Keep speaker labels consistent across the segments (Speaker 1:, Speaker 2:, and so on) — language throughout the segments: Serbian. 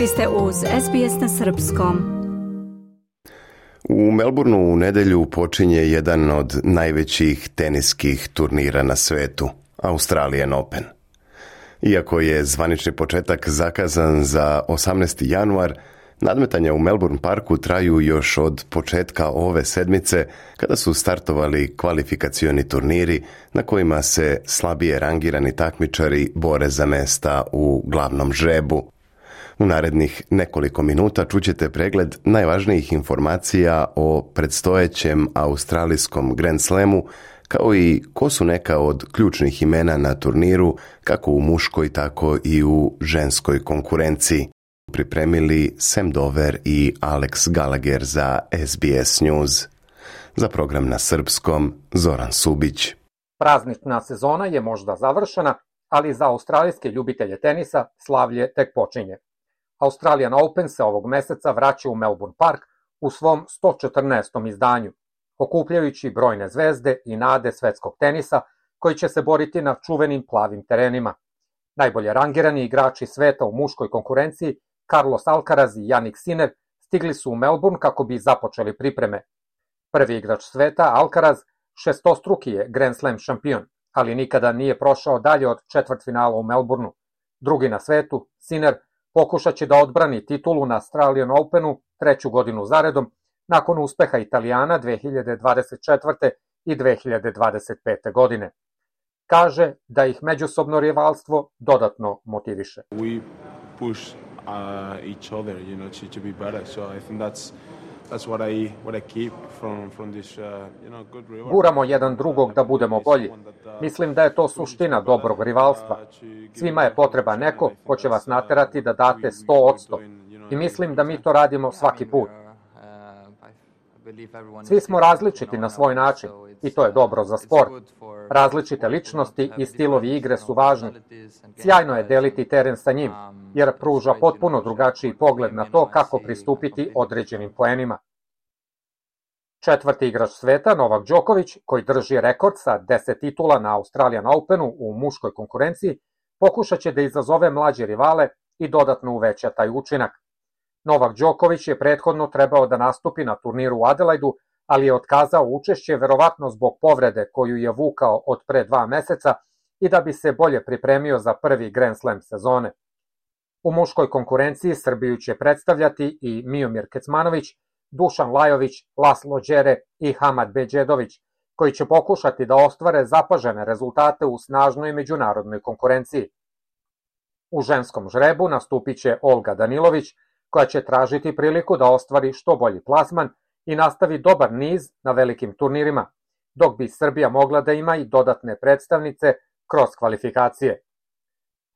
Speaker 1: Vi ste uz SBS na srpskom.
Speaker 2: U Melbourneu u nedjelju počinje jedan od najvećih teniskih turnira na svetu, Australian Open. Iako je zvanični početak zakazan za 18. januar, nadmetanja u Melbourne Parku traju još od početka ove sedmice, kada su startovali kvalifikacioni turniri na kojima se slabije rangirani takmičari bore za mesta u glavnom žrebu. U narednih nekoliko minuta čućete pregled najvažnijih informacija o predstojećem australijskom Grand Slamu, kao i ko su neka od ključnih imena na turniru, kako u muškoj, tako i u ženskoj konkurenciji. Pripremili Sam Dover i Alex Gallagher za SBS News. Za program na srpskom, Zoran Subić.
Speaker 3: Praznična sezona je možda završena, ali za australijske ljubitelje tenisa slavlje tek počinje. Australian Open se ovog meseca vraća u Melbourne Park u svom 114. izdanju, okupljajući brojne zvezde i nade svetskog tenisa koji će se boriti na čuvenim plavim terenima. Najbolje rangirani igrači sveta u muškoj konkurenciji, Carlos Alcaraz i Jannik Sinner, stigli su u Melbourne kako bi započeli pripreme. Prvi igrač sveta, Alcaraz, šestostruki je Grand Slam šampion, ali nikada nije prošao dalje od četvrtfinala u Melbourneu. Drugi na svetu, Sinner, pokušat će da odbrani titulu na Australian Openu treću godinu zaredom, nakon uspeha Italijana 2024. i 2025. godine. Kaže da ih međusobno rivalstvo dodatno motiviše.
Speaker 4: We push each other, to be better. So I think that's what I keep from this, good rivalry.
Speaker 3: Guramo jedan drugog da budemo bolji. Mislim da je to suština dobrog rivalstva. Svima je potreba neko ko će vas naterati da date 100%. I mislim da mi to radimo svaki put. Svi smo različiti na svoj način i to je dobro za sport. Različite ličnosti i stilovi igre su važni. Sjajno je deliti teren sa njim, jer pruža potpuno drugačiji pogled na to kako pristupiti određenim poenima. Četvrti igrač sveta, Novak Đoković, koji drži rekord sa 10 titula na Australian Openu u muškoj konkurenciji, pokušat će da izazove mlađe rivale i dodatno uveća taj učinak. Novak Đoković je prethodno trebao da nastupi na turniru u Adelaidu, ali je otkazao učešće verovatno zbog povrede koju je vukao od pre 2 meseca i da bi se bolje pripremio za prvi Grand Slam sezone. U muškoj konkurenciji Srbiju će predstavljati i Miomir Kecmanović, Dušan Lajović, Laslo Đere i Hamad Beđedović, koji će pokušati da ostvare zapažene rezultate u snažnoj međunarodnoj konkurenciji. U ženskom žrebu nastupit će Olga Danilović, koja će tražiti priliku da ostvari što bolji plasman i nastavi dobar niz na velikim turnirima, dok bi Srbija mogla da ima i dodatne predstavnice kroz kvalifikacije.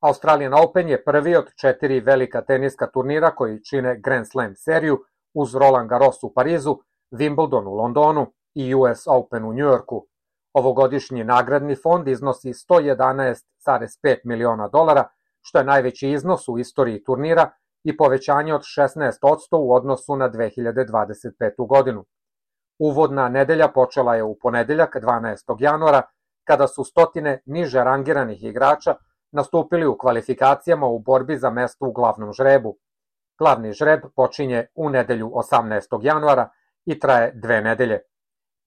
Speaker 3: Australian Open je prvi od 4 velika teniska turnira koji čine Grand Slam seriju uz Roland Garros u Parizu, Wimbledon u Londonu i US Open u Njujorku. Ovogodišnji nagradni fond iznosi $111,5 miliona, što je najveći iznos u istoriji turnira i povećanje od 16% u odnosu na 2025. godinu. Uvodna nedelja počela je u ponedeljak 12. januara, kada su stotine niže rangiranih igrača nastupili u kvalifikacijama u borbi za mesto u glavnom žrebu. Glavni žreb počinje u nedelju 18. januara i traje 2 nedelje.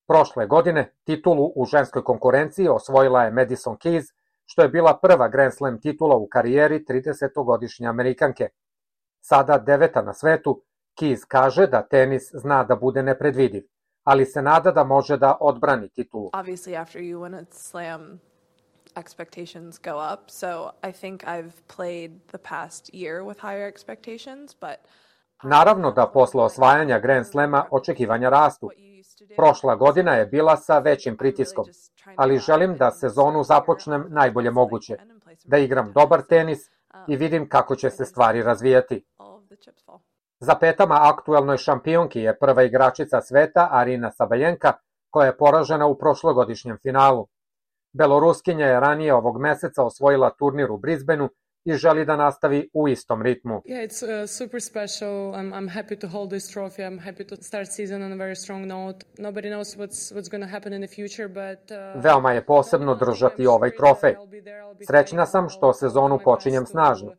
Speaker 3: Prošle godine titulu u ženskoj konkurenciji osvojila je Madison Keys, što je bila prva Grand Slam titula u karijeri 30-godišnje Amerikanke. Sada 9. na svetu, Keys kaže da tenis zna da bude nepredvidiv, ali se nada da može da odbrani titulu.
Speaker 5: Obviously after you win a slam, expectations go up, so I think I've played the past year with higher expectations, but
Speaker 3: Naravno da posle osvajanja Grand Slama očekivanja rastu. Prošla godina je bila sa većim pritiskom, ali želim da sezonu započnem najbolje moguće, da igram dobar tenis i vidim kako će se stvari razvijati. Za petama aktuelnoj šampionki je prva igračica sveta Arina Sabalenka, koja je poražena u prošlogodišnjem finalu. Beloruskinja je ranije ovog meseca osvojila turnir u Brisbaneu i želi da nastavi u istom ritmu.
Speaker 6: Yeah, it's super special. I'm happy to hold this trophy. I'm happy to start season on a very strong note. Nobody knows what's going to happen in the future, but
Speaker 3: Veoma je posebno držati ovaj trofej. Srećna sam što sezonu počinjem snažno.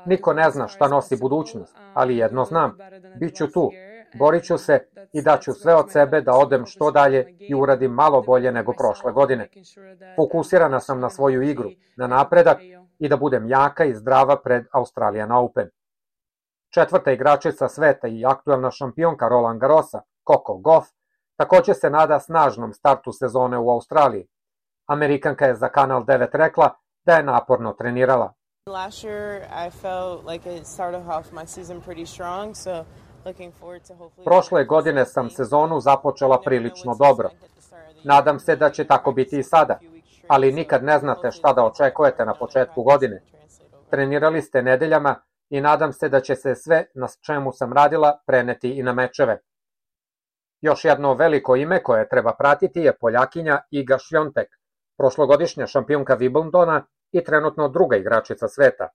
Speaker 3: Niko ne zna šta nosi budućnost, ali jedno znam, bit ću tu, borit ću se i daću sve od sebe da odem što dalje i uradim malo bolje nego prošle godine. Fokusirana sam na svoju igru, na napredak i da budem jaka i zdrava pred Australian Open. Četvrta igračica sveta i aktuelna šampionka Roland Garrosa, Coco Gauff, takođe se nada snažnom startu sezone u Australiji. Amerikanka je za Kanal 9 rekla da je naporno trenirala.
Speaker 7: Last year I felt like it started off my season pretty strong, so looking forward to hopefully.
Speaker 3: Prošle godine sam sezonu započela prilično dobro. Nadam se da će tako biti i sada, ali nikad ne znate šta da očekujete na početku godine. Trenirali ste nedeljama i nadam se da će se sve na čemu sam radila preneti i na mečeve. Još jedno veliko ime koje treba pratiti je Poljakinja Iga Świątek, prošlogodišnja šampionka Wimbledona i trenutno druga igračica sveta.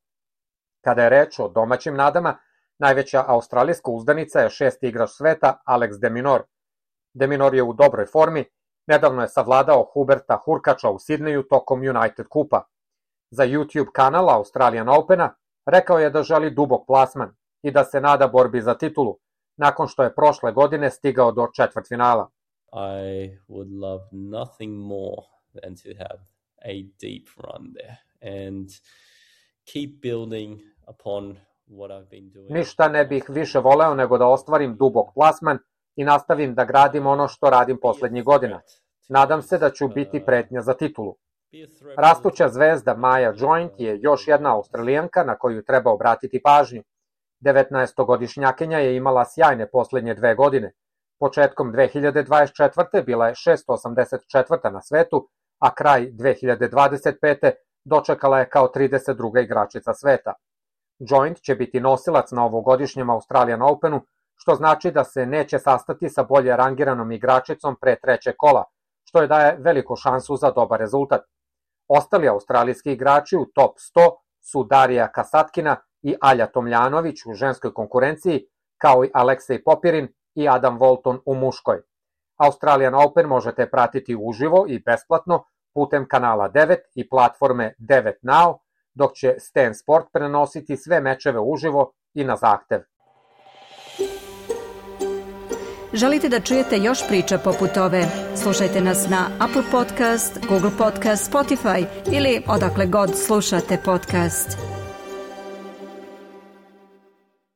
Speaker 3: Kada je reč o domaćim nadama, najveća australijska uzdanica je šesti igrač sveta Alex de Minaur. De Minaur je u dobroj formi, nedavno je savladao Huberta Hurkača u Sidneju tokom United Kupa. Za YouTube kanal Australian Opena rekao je da želi dubok plasman i da se nada borbi za titulu, nakon što je prošle godine stigao do četvrtfinala.
Speaker 8: I would love nothing more than to have a deep run there and keep building upon what I've been doing.
Speaker 3: Ništa ne bih više voleo nego da ostvarim dubok plasman i nastavim da gradim ono što radim poslednjih godina. Nadam se da ću biti pretnja za titulu. Rastuća zvezda Maja Joint je još jedna Australijanka na koju treba obratiti pažnju. 19-godišnjakinja je imala sjajne poslednje 2 godine. Početkom 2024. bila je 684. na svetu, a kraj 2025. dočekala je kao 32. igračica sveta. Joint će biti nosilac na ovogodišnjem Australian Openu, što znači da se neće sastati sa bolje rangiranom igračicom pre trećeg kola, što je daje veliku šansu za dobar rezultat. Ostali australijski igrači u top 100 su Darija Kasatkina i Alja Tomljanović u ženskoj konkurenciji, kao i Aleksej Popirin i Adam Walton u muškoj. Australian Open možete pratiti uživo i besplatno putem kanala 9 i platforme 9 Now, dok će Stan Sport prenositi sve mečeve uživo i na zahtev.
Speaker 1: Želite da čujete još priča poput ove? Slušajte nas na Apple Podcast, Google Podcast, Spotify ili odakle god slušate podcast.